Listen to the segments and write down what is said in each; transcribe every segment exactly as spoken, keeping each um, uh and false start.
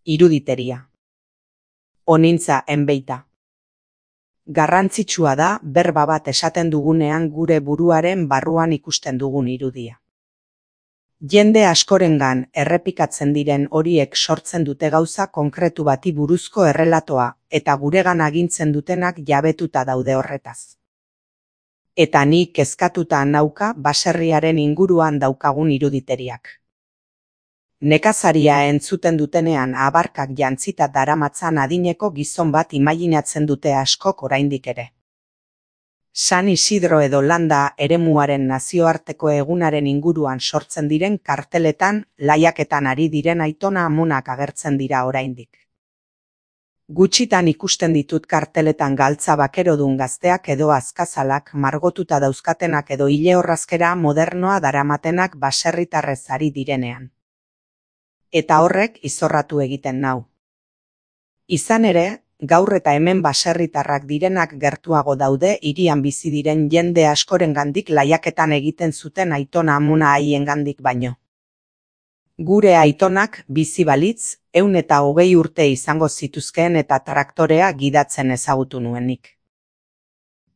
Iruditeria. Honintza enbeita. Garrantzitsua da berba bat esaten dugunean gure buruaren barruan ikusten dugun irudia. Jende askorengan errepikatzen diren horiek sortzen dute gauza konkretu bati buruzko errelatoa eta guregan agintzen dutenak jabetuta daude horretaz. Eta ni kezkatuta nauka baserriaren inguruan daukagun iruditeriak. Nekazaria entzuten dutenean abarkak jantzita daramatzan adineko gizon bat imaginatzen dute askok oraindik ere. San Isidro edo Landa eremuaren nazioarteko egunaren inguruan sortzen diren karteletan laiaketan ari diren aitona amonak agertzen dira oraindik. Gutxitan ikusten ditut karteletan galtza bakerodun gazteak edo azkazalak margotuta dauzkatenak edo ile-orrazkera modernoa daramatenak baserritarrez ari direnean. Eta horrek izorratu egiten nau. Izan ere, gaur eta hemen baserritarrak direnak gertuago daude hirian bizi diren jende askorengandik laiaketan egiten zuten aitona amona haiengandik baino. Gure aitonak bizi balitz, ehun eta hogei urte izango zituzkeen eta traktorea gidatzen ezagutu nuenik.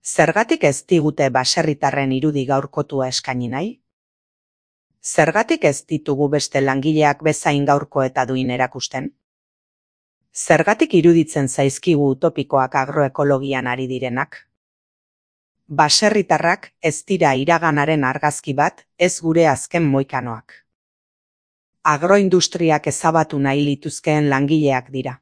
Zergatik ez digute baserritarren irudi gaurkotua eskaini nahi? Zergatik ez ditugu beste langileak bezain gaurko eta duin erakusten? Zergatik iruditzen zaizkigu utopikoak agroekologian ari direnak? Baserritarrak ez dira iraganaren argazki bat, ez gure azken moikanoak. Agroindustriak ezabatu nahi lituzkeen langileak dira.